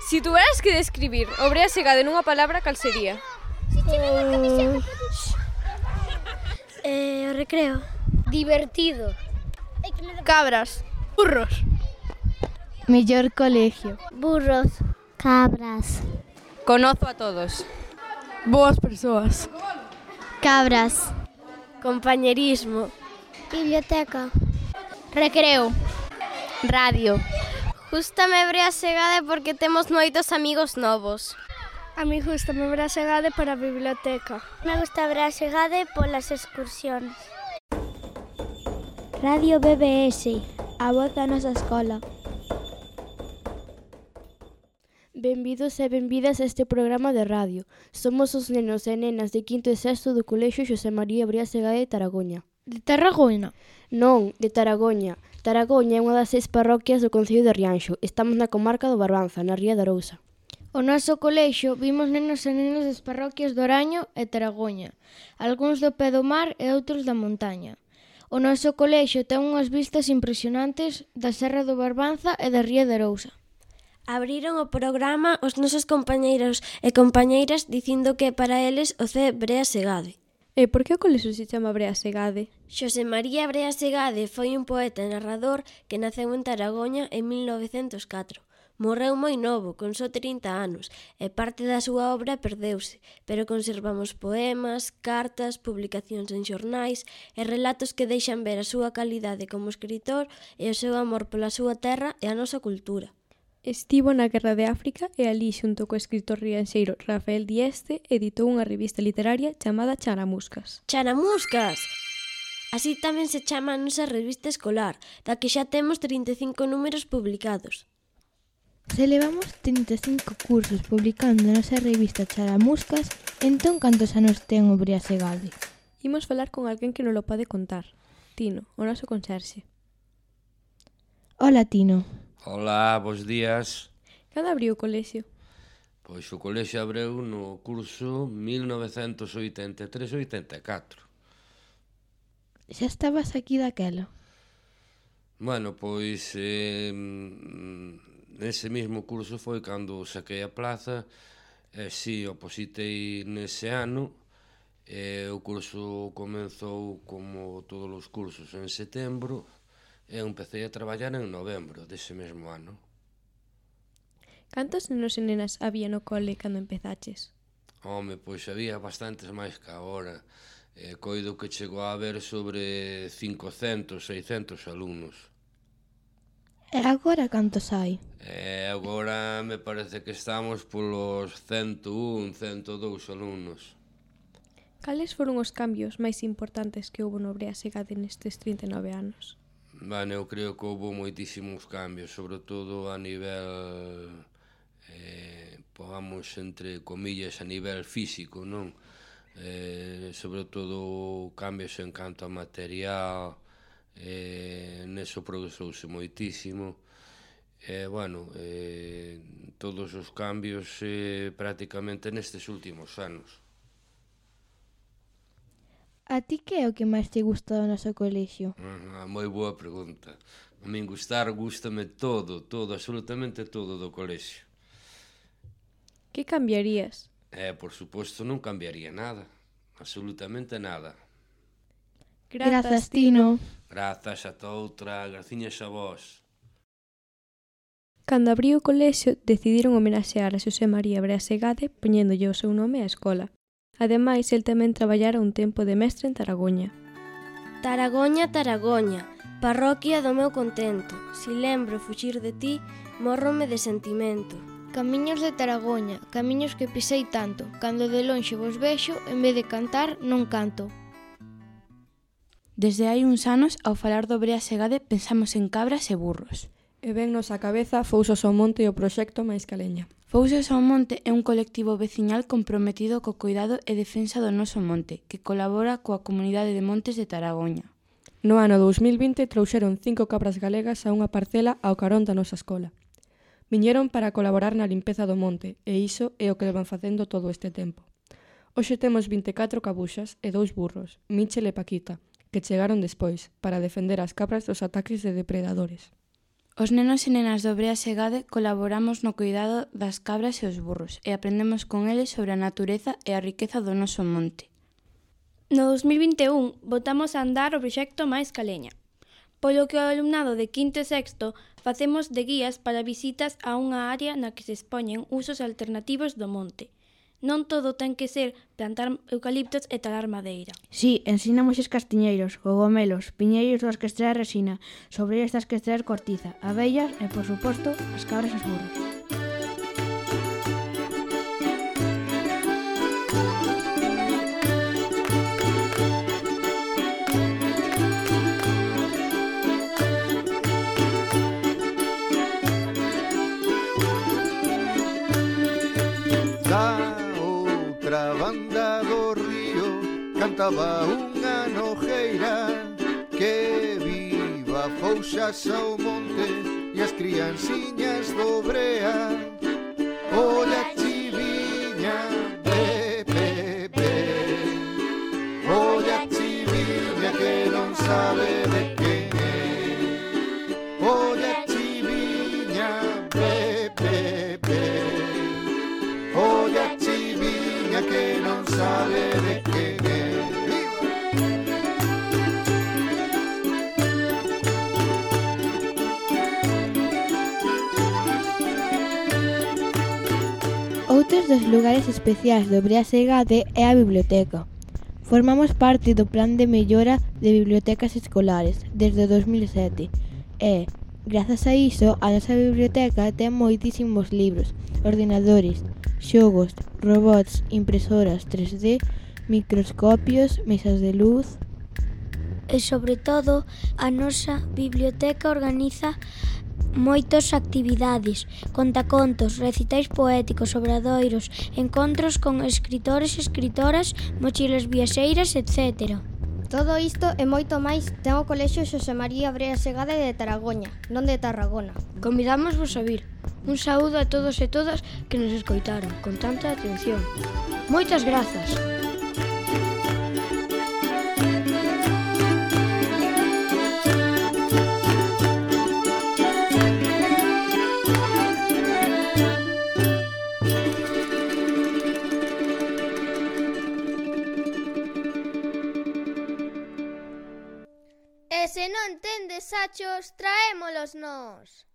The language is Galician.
Si tuveras que describir o Brea Segade nunha palabra, cal sería? O recreo. Divertido. Cabras. Burros. Mellor colegio. Burros. Cabras. Conozo a todos. Boas persoas. Cabras. Compañerismo. Biblioteca. Recreo. Radio. Gústame Brea Segade porque temos moitos amigos novos. A mí gústame Brea Segade para a biblioteca. Me gusta Brea Segade polas excursións. Radio BBS, a voz da nosa escola. Benvidos e benvidas a este programa de radio. Somos os nenos e nenas de quinto e sexto do Colexio Xosé María Brea Segade de Taragoña. De Tarragona? Non, de Taragoña. Taragoña é unha das 6 parroquias do concello de Rianxo. Estamos na comarca do Barbanza, na Ría de Arousa. O noso colexio vimos nenos e nenas das parroquias do Oraño e Taragoña, algúns do pé do mar e outros da montaña. O noso colexio ten unhas vistas impresionantes da Serra do Barbanza e da Ría de Arousa. Abriron o programa os nosos compañeiros e compañeiras dicindo que para eles o C Brea Segade. E por que o colexio se chama Brea Segade? Xosé María Brea Segade foi un poeta e narrador que naceu en Taragoña en 1904. Morreu moi novo, con só 30 anos, e parte da súa obra perdeuse, pero conservamos poemas, cartas, publicacións en xornais e relatos que deixan ver a súa calidade como escritor e o seu amor pola súa terra e a nosa cultura. Estivo na Guerra de África e alí, xunto co escritor rianxeiro Rafael Dieste, editou unha revista literaria chamada Charamuscas. Charamuscas! Así tamén se chama a nosa revista escolar, da que xa temos 35 números publicados. Se levamos 35 cursos publicando na nosa revista Charamuscas, entón cantos anos ten o Brea Segade? Imos falar con alguén que nos lo pode contar. Tino, o noso conserxe. Hola, Tino. Hola, bos días. Cando abriu o colexio? Pois o colexio abreu no curso 1983-84. Xa estabas aquí daquela? Bueno, pois nese mesmo curso foi cando saquei a plaza e si, opositei nese ano e o curso comenzou como todos os cursos en setembro e empecé a traballar en novembro dese mesmo ano. Cantos nenos e nenas había no cole cando empezaches? Home, pois había bastantes máis que agora. Coido que chegou a haber sobre 500, 600 alumnos. E agora cantos hai? Agora me parece que estamos polos 101, 102 alumnos. Cales foron os cambios máis importantes que houbo no Brea Segade nestes 39 anos? Eu creo que houve moitísimos cambios, sobre todo a nivel, pongamos entre comillas, a nivel físico, non? Sobre todo cambios en canto a material, neso progresouse moitísimo. Todos os cambios prácticamente nestes últimos anos. A ti que é o que máis te gusta do noso colexio? Moi boa pregunta. A min gústame todo, absolutamente todo do colexio. Que cambiarías? Por suposto, non cambiaría nada, absolutamente nada. Grazas, Tino. Grazas a toutra, graciñas a vos. Cando abriu o colexio, decidiron homenaxear a Xosé María Brea Segade poñéndolle o seu nome á escola. Ademais, el tamén traballara un tempo de mestre en Taragoña. Taragoña, Taragoña, parroquia do meu contento. Si lembro fuxir de ti, mórrome de sentimento. Camiños de Taragoña, camiños que pisei tanto. Cando de lonxe vos vexo, en vez de cantar, non canto. Desde hai uns anos, ao falar do Brea Segade, pensamos en cabras e burros. E vennos á cabeza Fouzos ao Monte e o proxecto Mais Caleña. Fouzos ao Monte é un colectivo veciñal comprometido co cuidado e defensa do noso monte, que colabora coa comunidade de montes de Taragoña. No ano 2020 trouxeron 5 cabras galegas a unha parcela ao carón da nosa escola. Viñeron para colaborar na limpeza do monte, e iso é o que levan facendo todo este tempo. Hoxe temos 24 cabuxas e 2 burros, Michel e Paquita, que chegaron despois, para defender as cabras dos ataques de depredadores. Os nenos e nenas do Brea Segade colaboramos no cuidado das cabras e os burros e aprendemos con eles sobre a natureza e a riqueza do noso monte. No 2021 botamos a andar o proxecto Máis Caleña, polo que o alumnado de quinto e sexto facemos de guías para visitas a unha área na que se expoñen usos alternativos do monte. Non todo ten que ser plantar eucaliptos e talar madeira. Sí, ensinamos os castiñeiros, cogomelos, piñeiros dos que extraer resina, sobre estas que extraer cortiza, abellas e, por suposto, as cabras e os burros. Banda do río cantaba unha nojeira que viva fouxas ao monte e as crianciñas do Brea. Olla chiviña, be, be, be. Olla chiviña que non sabe de que é. Olla chiviña, be, be, be. Olla chiviña que non sabe de quen é. Outros dos lugares especiais do Brea Segade é a biblioteca. Formamos parte do Plan de Mellora de Bibliotecas Escolares desde 2007 e, grazas a iso, a nosa biblioteca ten moitísimos libros, ordenadores, xogos, robots, impresoras 3D, microscopios, mesas de luz. E sobre todo, a nosa biblioteca organiza moitas actividades, contacontos, recitais poéticos, obradoiros, encontros con escritores e escritoras, mochilas viaxeiras, etc. Todo isto e moito máis ten o Colexio Xosé María Brea Segade de Taragoña, non de Tarragona. Convidamos-vos a vir. Un saúdo a todos e todas que nos escoitaron con tanta atención. Moitas grazas. E se non tendes sachos, traémolos nós.